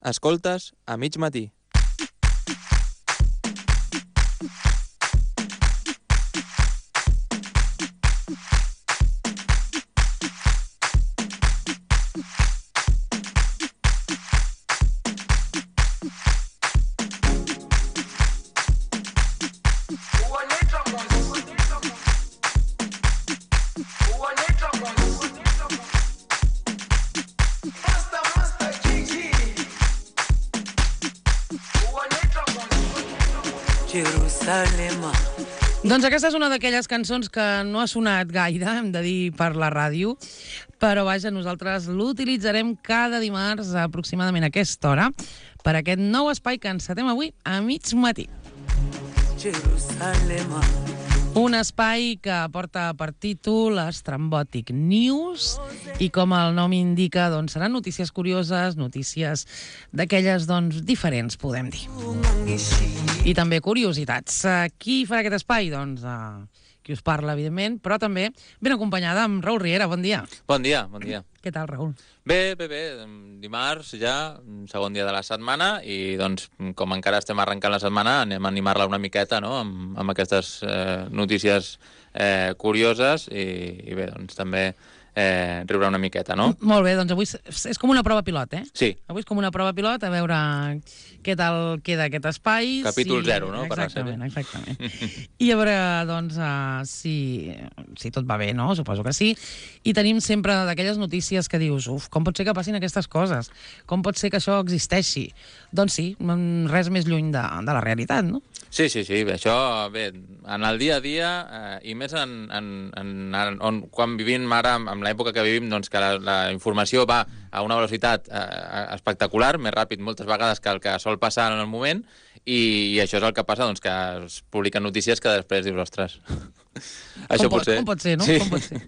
Escoltes a mig matí. Doncs aquesta és una d'aquelles cançons que no ha sonat gaire, hem de dir, per la ràdio, però vaja, nosaltres l'utilitzarem cada dimarts aproximadament a aquesta hora per aquest nou espai que encetem avui a mig matí. Un espai que porta per títol Estrambòtic News i, com el nom indica, doncs seran notícies curioses, notícies d'aquelles doncs diferents, podem dir. I també curiositats. Qui farà aquest espai? Doncs qui us parla, evidentment, però també ben acompanyada amb Raül Riera. Bon dia. Bon dia, bon dia. Què tal, Raül? Bé. Dimarts ja, segon dia de la setmana, i doncs, com encara estem arrencant la setmana, anem a animar-la una miqueta, no?, amb aquestes notícies curioses i bé, doncs també riure una miqueta, no? Molt bé, doncs avui és com una prova pilot, eh? Sí. Avui és com una prova pilot, a veure què tal queda aquest espai. Capítol 0, no? Exactament. I a veure, doncs, si tot va bé, no? Suposo que sí. I tenim sempre d'aquelles notícies que dius, com pot ser que passin aquestes coses? Com pot ser que això existeixi? Doncs sí, res més lluny de la realitat, no? Sí, això, bé, en el dia a dia, i més quan vivim ara, en l'època que vivim, doncs que la informació va a una velocitat espectacular, més ràpid moltes vegades que el que sol passar en el moment, i això és el que passa, doncs que es publiquen notícies que després dius, ostres, això pot ser. Com pot ser, no? Sí. Com pot ser.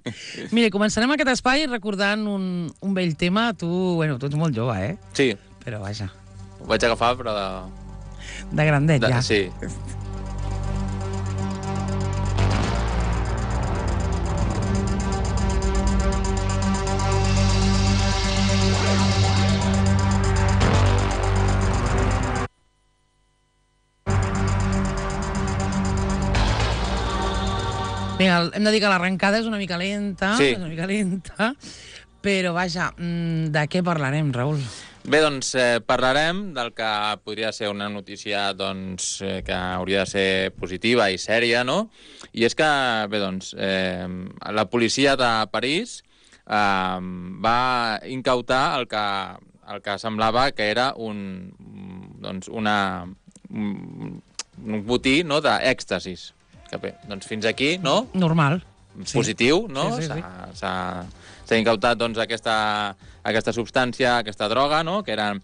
Mira, començarem aquest espai recordant un vell tema. Tu ets molt jove, eh? Sí. Però vaja. Ho vaig agafar, però de grandet, ja. Sí. Vinga, hem de dir que l'arrencada és una mica lenta, sí. Però vaja, de què parlarem, Raül? Bé, doncs parlarem del que podria ser una notícia doncs, que hauria de ser positiva i sèria, no? I és que, bé, doncs, la policia de París va incautar el que semblava que era un botí, no?, d'èxtasis. Que bé, doncs fins aquí, no? Normal. Positiu, no? Sí. S'ha incautat doncs, aquesta substància, aquesta droga, no?, que era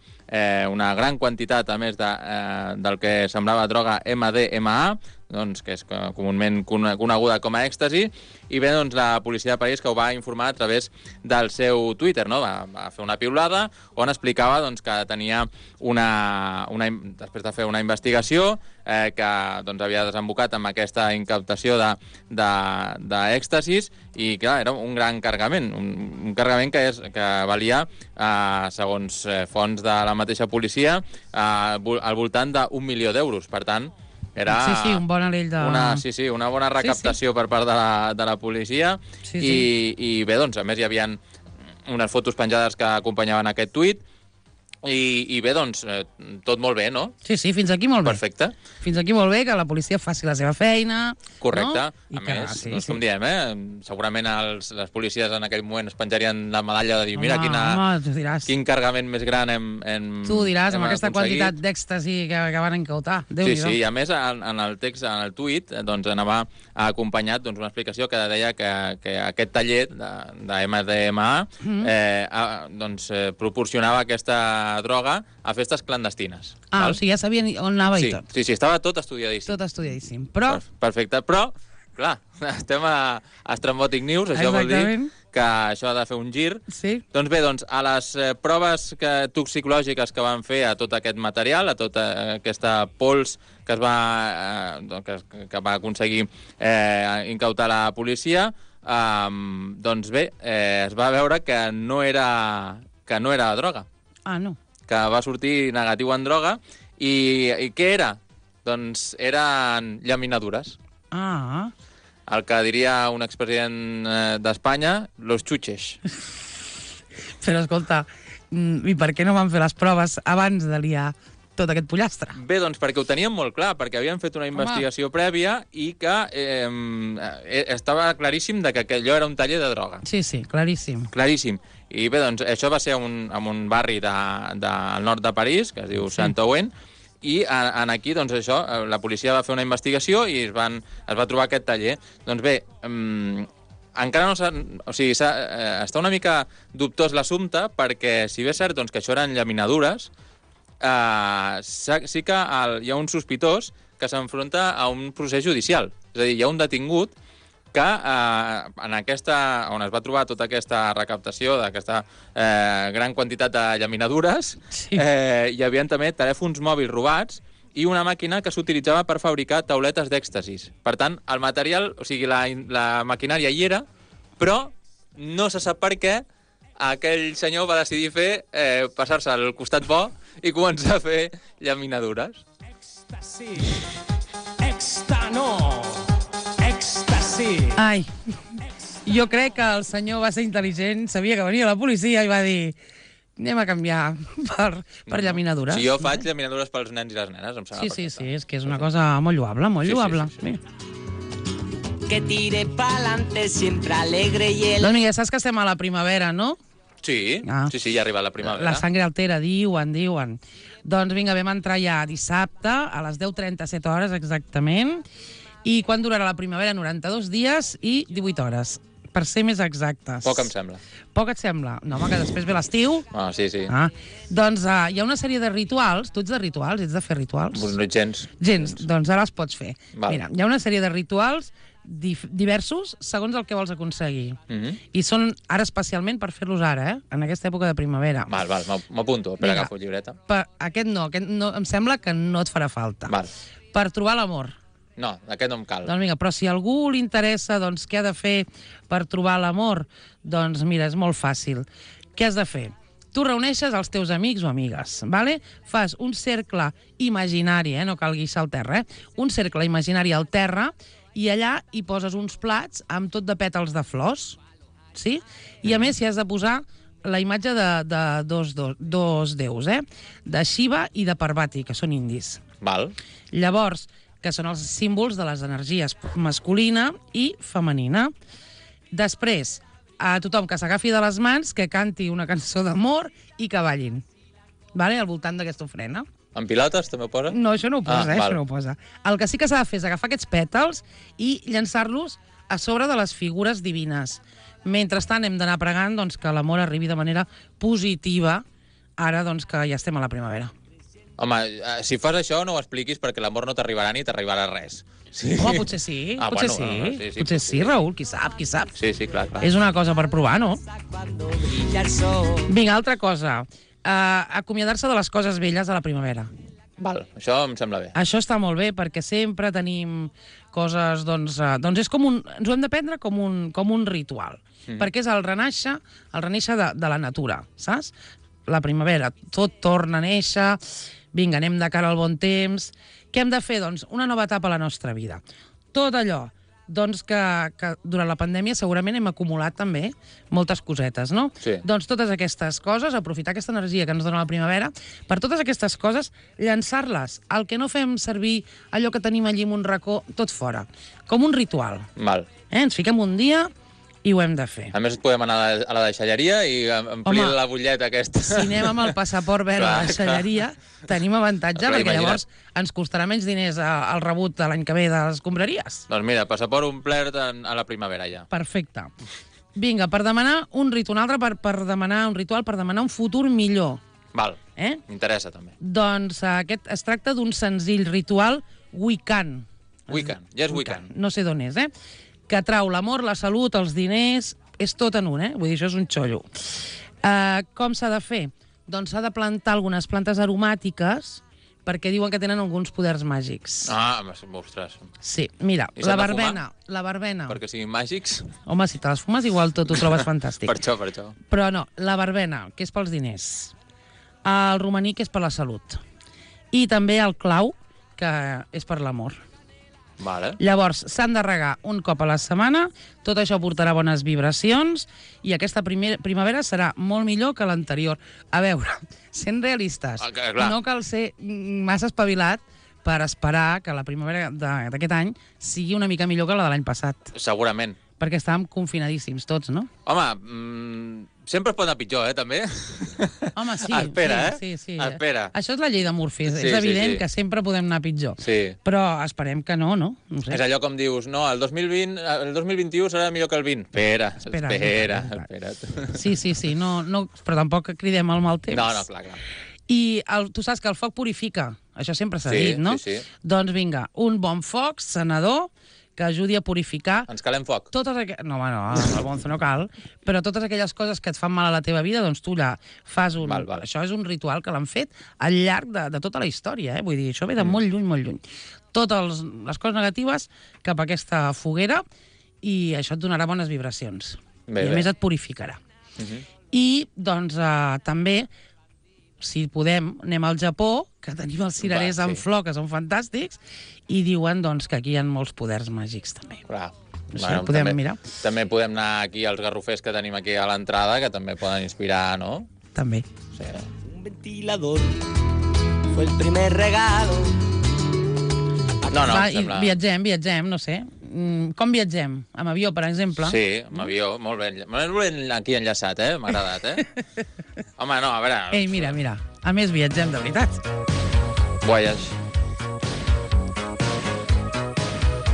una gran quantitat, a més del que semblava droga MDMA, doncs, que és comunament coneguda com a èxtasi, i bé, doncs, la policia de París que ho va informar a través del seu Twitter, no? Va fer una piulada on explicava doncs, que tenia després de fer una investigació que doncs, havia desembocat amb aquesta incautació d'èxtasis, i clar, era un gran cargament, un cargament que valia, segons fonts de la mateixa policia, al voltant d'1 milió d'euros. Per tant, era un bon anell de... una bona recaptació per part de la policia. I bé, doncs, a més hi havia unes fotos penjades que acompanyaven aquest tuit, i bé, doncs, tot molt bé, no? Sí, fins aquí molt bé. Perfecte. Fins aquí molt bé, que la policia faci la seva feina. Correcte. No? A més, com diem, segurament les policies en aquell moment es penjarien la medalla de dir, mira, quin cargament més gran hem tu diràs, amb aquesta quantitat d'èxtasi que van incautar. Sí, i a més, en el text, en el tuit, doncs anava acompanyat una explicació que deia que aquest taller de MDMA proporcionava aquesta droga a festes clandestines. O sigui, ja sabien on anava i tot. Sí, estava tot estudiadíssim. Tot estudiadíssim, però... Perfecte, però, clar, estem a Estrambòtic News, això vol dir que això ha de fer un gir. Sí. Doncs bé, a les proves toxicològiques que van fer a tot aquest material, a tota aquesta pols que va aconseguir incautar la policia, doncs bé, es va veure que no era droga. No. que va sortir negatiu en droga. I què era? Doncs eren llaminadures. Ah. El que diria un expresident d'Espanya, los chuches. Però escolta, i per què no van fer les proves abans de liar tot aquest pollastre? Bé, doncs perquè ho teníem molt clar, perquè havien fet una investigació prèvia i que estava claríssim de que allò era un taller de droga. Sí, claríssim. Claríssim. I bé, doncs això va ser en un barri del nord de París, que es diu Saint-Ouen, i aquí, doncs això, la policia va fer una investigació i es va trobar aquest taller. Doncs bé, encara no s'ha... O sigui, està una mica dubtós l'assumpte, perquè si bé és cert doncs, que això eren llaminadures, sí que hi ha un sospitós que s'enfronta a un procés judicial. És a dir, hi ha un detingut que on es va trobar tota aquesta recaptació d'aquesta gran quantitat de llaminadures, hi havia també telèfons mòbils robats i una màquina que s'utilitzava per fabricar tauletes d'èxtasis. Per tant, el material, o sigui, la maquinària hi era, però no se sap per què aquell senyor va decidir passar-se al costat bo i començar a fer llaminadures. Èxtasi, èxtasi. Ai, jo crec que el senyor va ser intel·ligent, sabia que venia la policia i va dir anem a canviar per llaminadures. Si jo faig llaminadures pels nens i les nenes, em sembla Sí, és que és una cosa molt lloable, molt lloable. Sí. Que tire pa'lante siempre alegre y el... Doncs mira, saps que estem a la primavera, no? Sí, sí, ja ha arribat la primavera. La sangre altera, diuen. Doncs vinga, vam entrar ja dissabte, a les 10:37 hores exactament, i quan durarà la primavera? 92 dies i 18 hores, per ser més exactes. Poc em sembla. Poc et sembla? No, home, que després ve l'estiu. Ah, sí. Doncs hi ha una sèrie de rituals. Tu ets de rituals? Ets de fer rituals? No gens. Gens, doncs ara els pots fer. Val. Mira, hi ha una sèrie de rituals diversos segons el que vols aconseguir. I són ara especialment per fer-los ara, en aquesta època de primavera. Val, m'apunto, per agafar llibreta. Aquest no, em sembla que no et farà falta. Val. Per trobar l'amor. No, aquest no em cal. Doncs vinga, però si a algú li interessa doncs, què ha de fer per trobar l'amor, doncs mira, és molt fàcil. Què has de fer? Tu reuneixes els teus amics o amigues, ¿vale? Fas un cercle imaginari, no cal guixar al terra, un cercle imaginari al terra, i allà hi poses uns plats amb tot de pètals de flors, sí? I a més hi has de posar la imatge de dos déus, de Shiva i de Parvati, que són indis. Val. Llavors, que són els símbols de les energies masculina i femenina. Després, a tothom que s'agafi de les mans, que canti una cançó d'amor i que ballin, al voltant d'aquesta ofrena. En pilotes també ho posa? No, això no ho posa, això no ho posa. El que sí que s'ha de fer és agafar aquests pètals i llançar-los a sobre de les figures divines. Mentrestant hem d'anar pregant que l'amor arribi de manera positiva, ara que ja estem a la primavera. Home, si fas això no ho expliquis perquè l'amor no t'arribarà ni t'arribarà res. Sí. Home, potser sí, potser sí, Raül, qui sap. Sí, clar. És una cosa per provar, no? Vinga, altra cosa. Acomiadar-se de les coses velles a la primavera. Val, això em sembla bé. Això està molt bé, perquè sempre tenim coses, és com ens ho hem de prendre com un ritual, perquè és el renéixer de la natura, saps? La primavera, tot torna a néixer, vinga, anem de cara al bon temps. Què hem de fer? Doncs una nova etapa a la nostra vida. Tot allò que durant la pandèmia segurament hem acumulat també moltes cosetes, no? Sí. Doncs totes aquestes coses, aprofitar aquesta energia que ens dona la primavera, per totes aquestes coses, llançar-les. El que no fem servir allò que tenim allí en un racó, tot fora. Com un ritual. Val. Ens fiquem un dia i ho hem de fer. A més, podem anar a la deixalleria i omplir la butlleta aquesta. Si anem amb el passaport verd a la deixalleria, tenim avantatge, perquè llavors ens costarà menys diners el rebut de l'any que ve de les escombraries. Doncs mira, passaport omplert a la primavera ja. Perfecte. Vinga, per demanar un ritual, un altre per demanar un ritual, per demanar un futur millor. Val, m'interessa també. Doncs aquest es tracta d'un senzill ritual wiccan. Wiccan, ja és wiccan. No sé d'on és, que atrau l'amor, la salut, els diners, és tot en un, Vull dir, això és un xollo. Com s'ha de fer? Doncs s'ha de plantar algunes plantes aromàtiques perquè diuen que tenen alguns poders màgics. Ah, ostres. Sí, mira, la verbena. Perquè siguin màgics? Home, si te les fumes igual tot ho trobes fantàstic. Per això. Però no, la verbena, que és pels diners. El romaní, que és per la salut. I també el clau, que és per l'amor. Vale. Llavors, s'han de regar un cop a la setmana, tot això portarà bones vibracions i aquesta primavera serà molt millor que l'anterior. A veure, sent realistes, no cal ser massa espavilat per esperar que la primavera d'aquest any sigui una mica millor que la de l'any passat. Segurament. Perquè estàvem confinadíssims tots, no? Home, sempre es pot anar pitjor, també. Home, sí. Espera, sí. Espera. Això és la llei de Murphy. És evident que sempre podem anar pitjor. Sí. Però esperem que no, no? No sé. És allò com dius, no, el 2021 serà millor que el 20. Espera't. Sí, no, però tampoc cridem al mal temps. No, clar. I tu saps que el foc purifica. Això sempre s'ha dit, no? Sí. Doncs vinga, un bon foc sanador que ajudi a purificar... Ens calem foc. No, el bonzo no cal, però totes aquelles coses que et fan mal a la teva vida, doncs tu allà fas un... Val. Això és un ritual que l'han fet al llarg de tota la història, Vull dir, això ve de molt lluny. Totes les coses negatives cap a aquesta foguera i això et donarà bones vibracions. I a més et purificarà. I, doncs, també... Si podem, anem al Japó, que tenim els cirerers en flor, que són fantàstics, i diuen doncs, que aquí hi ha molts poders màgics, també. Clar. Podem mirar. També podem anar aquí als garrofers que tenim aquí a l'entrada, que també poden inspirar, no? També. Sí. Un ventilador fue el primer regalo. No, sembla... Viatgem, no sé. Com viatgem? Amb avió, per exemple? Sí, amb avió, molt ben aquí enllaçat, m'ha agradat, Home, no, a veure... Ei, mira, a més viatgem de veritat. Voyage.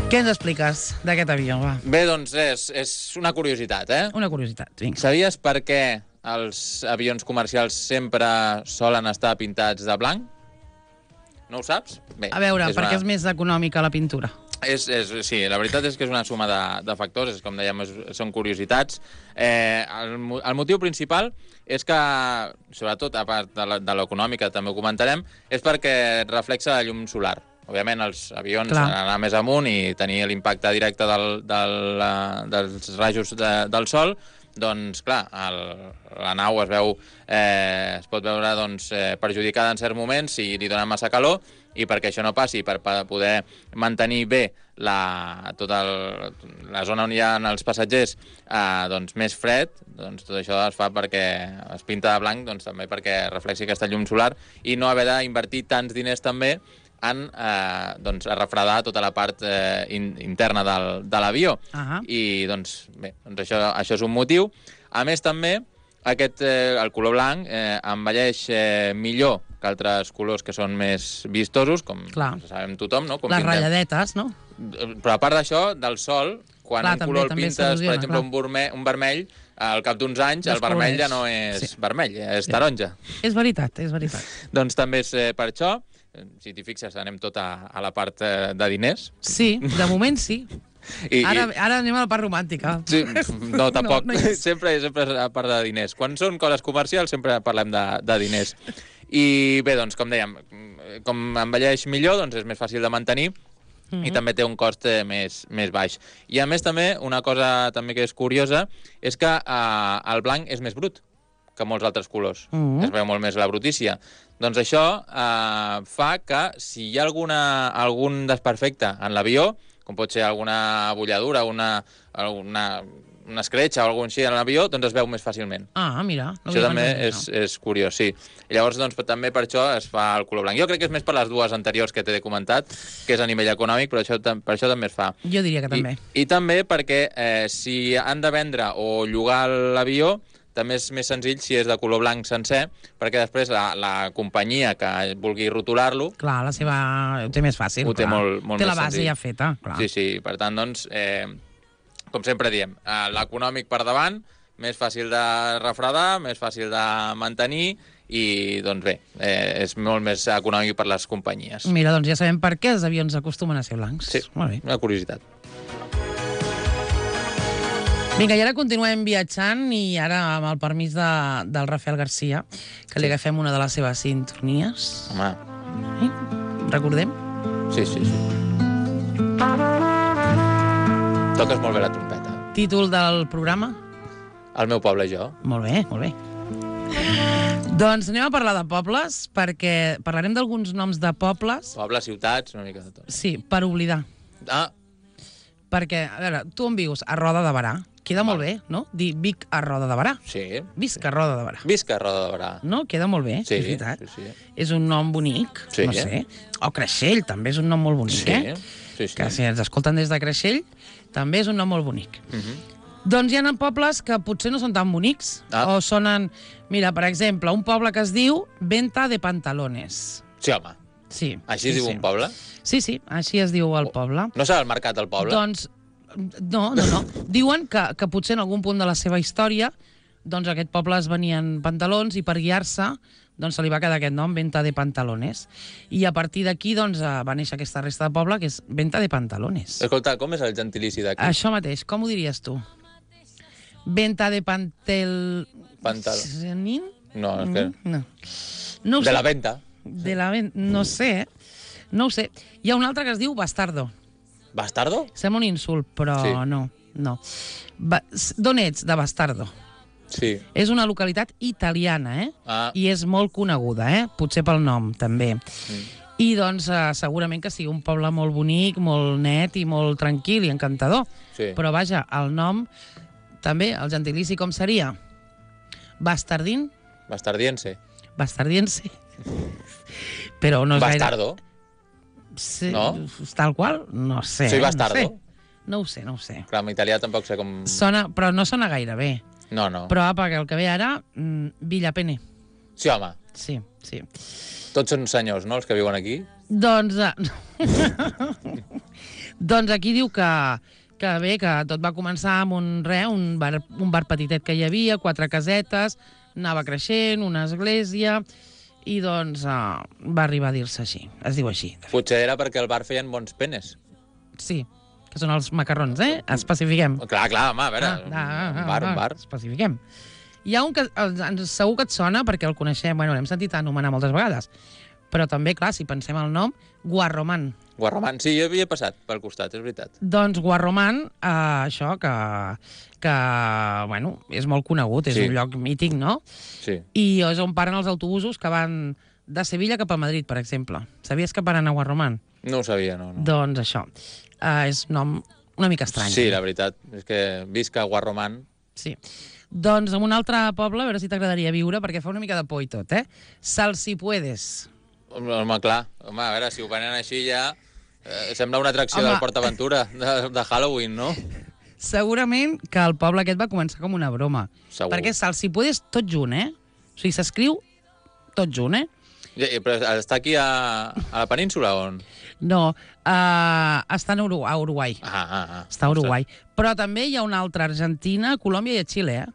Què ens expliques d'aquest avió, va? Bé, doncs és una curiositat, Una curiositat, vinga. Sabies per què els avions comercials sempre solen estar pintats de blanc? No ho saps? Bé, a veure, perquè és més econòmica la pintura. Sí, la veritat és que és una suma de factors, com dèiem, són curiositats. El motiu principal és que, sobretot, a part de l'econòmica, també ho comentarem, és perquè reflexa la llum solar. Òbviament, els avions han d'anar més amunt i tenir l'impacte directe dels rajos del sol, doncs, clar, la nau es pot veure perjudicada en certs moments si li dona massa calor, i perquè això no passi, per poder mantenir bé tota la zona on hi ha els passatgers més fred, doncs tot això es fa perquè es pinta de blanc, doncs també perquè reflexi aquesta llum solar i no haver d'invertir tants diners també en refredar tota la part interna de l'avió. I doncs bé, això és un motiu. A més també, el color blanc envelleix millor que altres colors que són més vistosos, com sabem tothom, no? Les ratlladetes, no? Però a part d'això, del sol, quan un color el pintes, per exemple, un vermell, al cap d'uns anys el vermell ja no és vermell, és taronja. És veritat. Doncs també és per això. Si t'hi fixes, anem tot a la part de diners. Sí, de moment sí. Ara anem a la part romàntica. Sí, no, tampoc. Sempre és a part de diners. Quan són coses comercials sempre parlem de diners. I bé, doncs, com dèiem, com envelleix millor, doncs és més fàcil de mantenir i també té un cost més baix. I a més també, una cosa també que és curiosa, és que el blanc és més brut que molts altres colors. Es veu molt més la brutícia. Doncs això fa que si hi ha algun desperfecte en l'avió, com pot ser alguna bulladura, una escletxa o alguna cosa així en l'avió, doncs es veu més fàcilment. Mira. Això també és curiós, sí. I llavors, doncs, també per això es fa el color blanc. Jo crec que és més per les dues anteriors que t'he comentat, que és a nivell econòmic, però per això també es fa. Jo diria que també. I també perquè si han de vendre o llogar l'avió, també és més senzill si és de color blanc sencer, perquè després la companyia que vulgui rotular-lo... Clar, la seva... ho té més fàcil. Ho té molt més senzill. Té la base ja feta, clar. Sí, per tant, doncs, com sempre diem, l'econòmic per davant, més fàcil de refredar, més fàcil de mantenir i, doncs bé, és molt més econòmic per les companyies. Mira, doncs ja sabem per què els avions acostumen a ser blancs. Sí, una curiositat. Vinga, i ara continuem viatjant i ara amb el permís del Rafael García, que li agafem una de les seves sintonies. Home. Recordem? Sí. Toques molt bé la trompeta. Títol del programa? El meu poble i jo. Molt bé. Doncs anem a parlar de pobles, perquè parlarem d'alguns noms de pobles, Pobles, ciutats, una mica de tot. sí, per oblidar. Ah, Perquè, a veure, tu on vius? A Roda de Berà. Queda molt bé, no? Dir Vic a Roda de Berà. sí. Visc a Roda de Berà. Visca Roda de Berà. No? Queda molt bé, Sí, és veritat. sí. És un nom bonic, Sí. no sé. O Creixell, també és un nom molt bonic, Sí. Que si ens escolten des de Creixell, també és un nom molt bonic. Mhm. Doncs hi ha pobles que potser no són tan bonics, Ah. o sonen... Mira, per exemple, un poble que es diu Venta de Pantalones. Sí, home. Sí. Així es diu un poble? Sí, així es diu el poble. No serà el mercat del poble? Doncs, no. Diuen que potser en algun punt de la seva història doncs aquest poble es venien pantalons i per guiar-se doncs se li va quedar aquest nom, Venta de Pantalones. I a partir d'aquí doncs, va néixer aquesta resta de poble, que és Venta de Pantalones. Escolta, com és el gentilici d'aquí? Això mateix, com ho diries tu? Venta de Pantal... Pantalón? No, és que... No. No ho De sé. la venta. De la venta. No sé, No ho sé. Hi ha un altre que es diu Bastardo. Bastardo? Sembla un insult, però Sí. no. D'on ets? De Bastardo. Sí. És una localitat italiana, Ah. I és molt coneguda, Potser pel nom, també. I, doncs, segurament que sigui un poble molt bonic, molt net i molt tranquil i encantador. Sí. Però, vaja, el nom, també, el gentilici com seria? Bastardín? Bastardiense. Bastardiense? Però no és Bastardo. gaire... Sí, No? Tal qual? No sé. Soy bastardo. No ho sé. Clar, en italià tampoc sé com... Però no sona gaire bé. No. Però apa, que el que ve ara, Villapene. Sí, home. Sí. Tots són senyors, no?, els que viuen aquí. Doncs, doncs aquí diu que bé, que tot va començar amb un bar petitet que hi havia, 4 casetes, anava creixent, una església, i doncs va arribar a dir-se així. Es diu així. Potser era perquè al bar feien bons penes. Sí, que són els macarrons, Especifiquem. Clar, home, a veure, un bar. Especifiquem. Hi ha un que segur que et sona perquè el coneixem, l'hem sentit anomenar moltes vegades, però també, clar, si pensem el nom, Guarromán. Guarromán, sí, jo havia passat pel costat, és veritat. Doncs Guarromán, això, que és molt conegut, és Sí. un lloc mític, no? Sí. I és on paren els autobusos que van de Sevilla cap a Madrid, per exemple. Sabies que paren a Guarromán? No ho sabia, no. Doncs això, és un nom una mica estrany. Sí, la veritat, és que visca Guarromán. Sí. Doncs en un altre poble, a veure si t'agradaria viure, perquè fa una mica de por i tot, Salsipuedes. Home, clar, a veure, si ho venen així ja... sembla una atracció Home. del Port Aventura, de Halloween, no? Segurament que el poble aquest va començar com una broma. Segur. Perquè Salsipuedes tot junt, O sigui, s'escriu tot junt, Però està aquí a la península, on? No, està a Uruguai. Està a Uruguai. Però també hi ha una altra a Argentina, a Colòmbia i a Xile,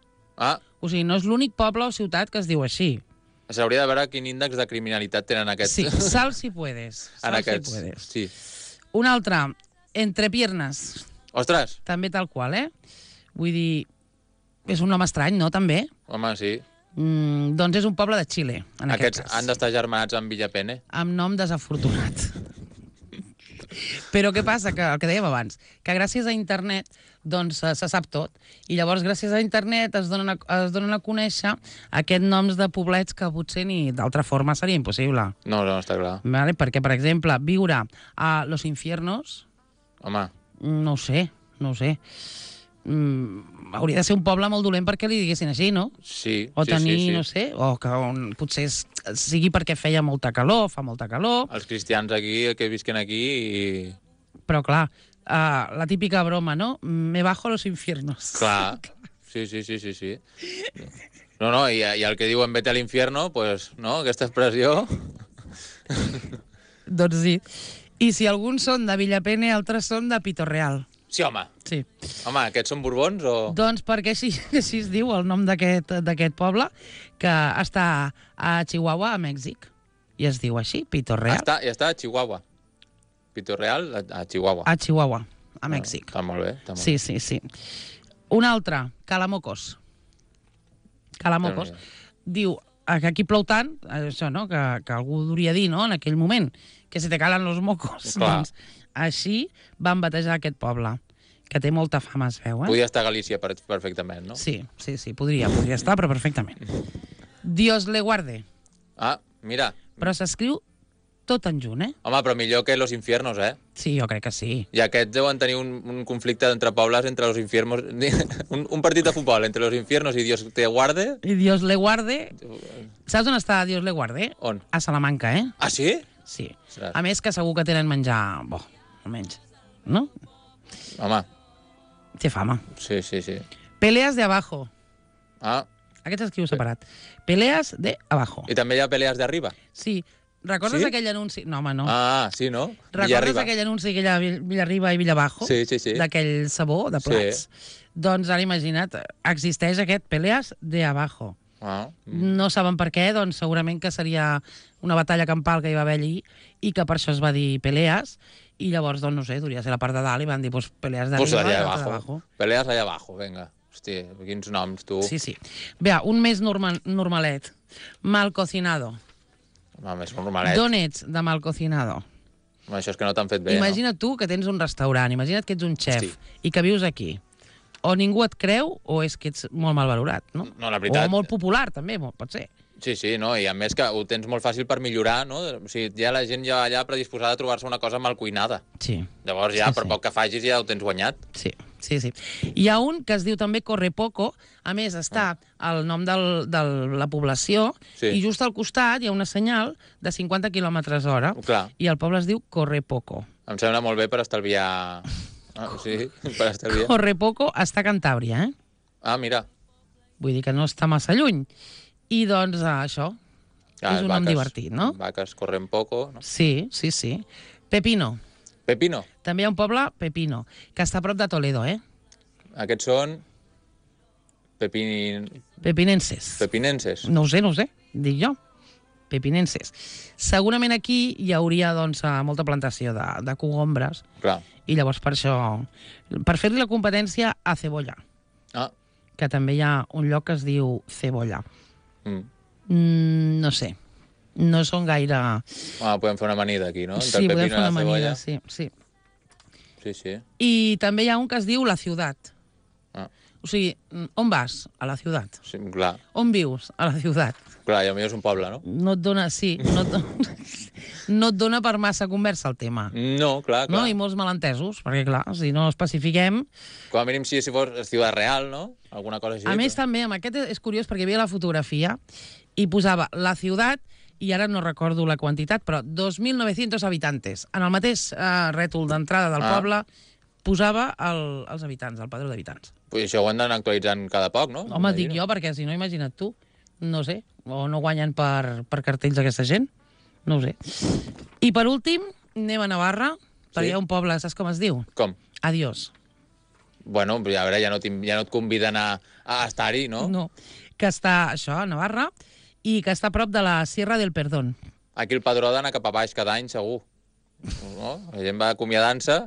O sigui, no és l'únic poble o ciutat que es diu així. S'hauria de veure quin índex de criminalitat tenen aquests. Sí, Salsipuedes. En aquests, sí. Un altre, Entrepiernas. Ostres! També tal qual, Vull dir, és un nom estrany, no, també? Home, sí. Doncs és un poble de Xile, en aquest Aquests cas. han d'estar germanats amb Villapene. Amb nom desafortunat. Però què passa? Que el que dèiem abans, que gràcies a internet doncs se sap tot. I llavors gràcies a internet es donen a conèixer aquests noms de poblets que potser ni d'altra forma seria impossible. No, està clar. Vale? Perquè, per exemple, viure a Los Infiernos, Home, no ho sé. Hauria de ser un poble molt dolent perquè li diguessin així, no? sí. O tenir, sí. no sé, o que potser sigui perquè feia molta calor, fa molta calor. Els cristians aquí, que visquen aquí i... Però, clar, la típica broma, no? Me bajo a los infiernos. Clar. Sí. No, i el que diuen vete a l'infierno, pues, no, aquesta expressió... Doncs sí. I si alguns són de Villapene, altres són de Pitorreal. Sí, home. Sí. Home, aquests són borbons o...? Doncs perquè així es diu el nom d'aquest poble, que està a Chihuahua, a Mèxic. I es diu així, Pitorreal. Està a Chihuahua. Pitorreal, a Chihuahua. A Chihuahua, a Mèxic. Està molt bé. Sí. Un altre, Calamocos. Calamocos. Diu que aquí plou tant, això, no?, que algú hauria dir, no?, en aquell moment, que se te calen los mocos. Clar. Doncs així van batejar aquest poble, que té molta fama, es veu, Podia estar a Galícia perfectament, no? Sí, podria estar, però perfectament. Dios le guarde. Ah, mira. Però s'escriu tot en junt, eh? Home, però millor que Los Infiernos, eh? Sí, jo crec que sí. I aquests deuen tenir un conflicte entre pobles, entre Los Infiernos... un partit de futbol entre Los Infiernos i Dios te guarde. I Dios le guarde... Saps on està Dios le guarde? On? A Salamanca, eh? Ah, sí? Sí. Ostres. A més que segur que tenen menjar bo, almenys. No? Home, Té fama. sí, sí, sí. Peleas de abajo. Ah, Aquest s'escriu separat. Peleas de abajo. i també hi ha pelees d'arriba. Sí. Recordes Sí? aquell anunci? No, home, no. Ah, sí, no? Recordes Villarriba. aquell anunci que hi ha a Villarriba i Villabajo? Sí, sí, sí. D'aquell sabó de plats? Doncs ara imagina't, existeix aquest Peleas de abajo. Ah, No saben per què, doncs segurament que seria una batalla campal que hi va haver allí i que per això es va dir Peleas i llavors, doncs, no sé, hauria de ser la part de dalt i van dir, pues, Peleas pues d'arriba i allá l'altra abajo. d'abajo. Peleas allá abajo, venga. Hòstia, quins noms, tu. Sí, sí. Bé, un més normalet. Mal cocinado. Home, és normalet. D'on ets de mal cocinado? Home, això és que no t'han fet bé, Imagina't tu que tens un restaurant, imagina't que ets un xef Hosti. i que vius aquí. O ningú et creu o és que ets molt mal valorat, no? No, la veritat- O molt popular, també, pot ser. no? Sí, sí, no? I a més que ho tens molt fàcil per millorar, no? O sigui, ja la gent ja va allà predisposada a trobar-se una cosa mal cuinada. Sí. Llavors ja, Sí, per sí. poc que facis, ja ho tens guanyat. Sí, sí, sí. Hi ha un que es diu també Correpoco, a més està el nom de la població Sí. i just al costat hi ha una senyal de 50 km/h Clar. i el poble es diu Correpoco. Em sembla molt bé per estalviar... Ah, sí, per estalviar. Correpoco està a Cantàbria, eh? Ah, mira. Vull dir que no està massa lluny. I doncs això, és un nom divertit, no? Vaques corren poco, no? Sí, sí, sí. Pepino. Pepino. També hi ha un poble, Pepino, que està a prop de Toledo, eh? Aquests són Pepinenses. pepinenses. No ho sé, dic jo. Pepinenses. Segurament aquí hi hauria doncs, molta plantació de cogombres Clar. i llavors per això, per fer-li la competència a Cebolla, Ah, que també hi ha un lloc que es diu Cebolla. mm. No sé, no són gaire... Ah, podem fer una amanida aquí, no? Entre Sí, el podem pepino fer i una la amanida, cebolla. sí. Sí, sí. I també hi ha un que es diu La Ciutat. Ah, O sigui, on vas? A la ciutat. sí, clar. On vius? A la ciutat. Clar, i potser és un poble, no? No et dona, sí, no et dona per massa conversa el tema. No, clar, clar. No? I molts malentesos, perquè clar, si no especifiquem... Com a mínim si fos Ciutat Real, no? Alguna cosa així. A més, també, amb aquest és curiós perquè hi havia la fotografia i posava la ciutat, i ara no recordo la quantitat, però 2.900 habitantes. En el mateix rètol d'entrada del poble posava els habitants, el padró d'habitants. Pues això ho han d'anar actualitzant cada poc, no? Home, dic jo, perquè si no, imagina't tu. No sé, o no guanyen per cartells aquesta gent. No ho sé. I per últim, anem a Navarra, perquè hi ha un poble, saps com es diu? Com? Adiós. Bueno, a veure, ja no et conviden a estar-hi, no? No, que està, això, a Navarra, i que està a prop de la Sierra del Perdón. Aquí el padró d'anar cap a baix cada any, segur. No? La gent va acomiadant-se.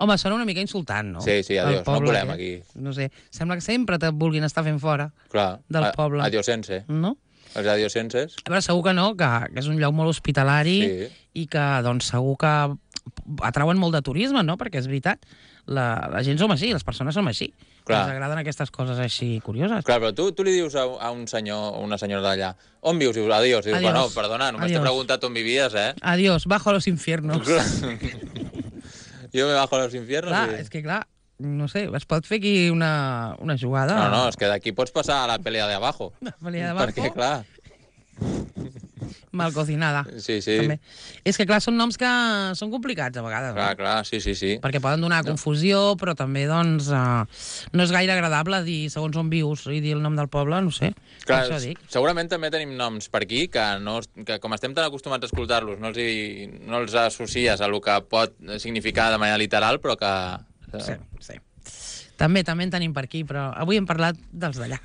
Home, sona una mica insultant, no? Sí, sí, El adiós, no poble volem aquest. aquí. No sé, sembla que sempre te vulguin estar fent fora Clar. del poble. Adiosense. No? Els adiosenses. A veure, segur que no, que és un lloc molt hospitalari Sí. i que, doncs, segur que atrauen molt de turisme, no? Perquè és veritat, la gent som així, les persones som així. Clar. Ens agraden aquestes coses així curioses. Clar, però tu li dius a un senyor o una senyora d'allà, on vius? Dius, adiós. Dius, Adiós. bueno, perdona, només t'he Adiós. preguntat on vivies, eh? Adiós, bajo a los infiernos. Jo me bajo a los infiernos. Clar, i... és que clar, no sé, es pot fer aquí una jugada. No, és que d'aquí pots passar a la pelea de abajo. Una pelea de abajo. Perquè, clar... Mal cocinada. Sí, sí. També. És que, clar, són noms que són complicats a vegades. Clar, no? clar, sí, sí, sí. Perquè poden donar confusió, però també, doncs, no és gaire agradable dir segons on vius i dir el nom del poble, no sé. Clar, Per això dic. segurament també tenim noms per aquí que, que com estem tan acostumats a escoltar-los, no els associes a el que pot significar de manera literal, però que... Sí, sí. També en tenim per aquí, però avui hem parlat dels d'allà.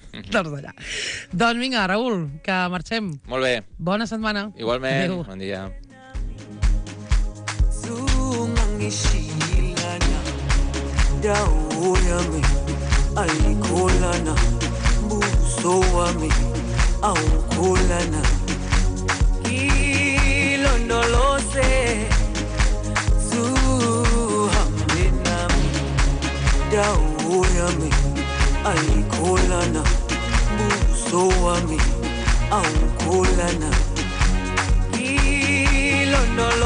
Doncs vinga, Raül, que marxem. Molt bé. Bona setmana. Igualment. Adéu. Bon dia. Zungangishilana dawo yami ayikholana buso wami awukholana ilondoloze zuhambe nami dawo yami ayikholana buso wami awukholana ilondoloze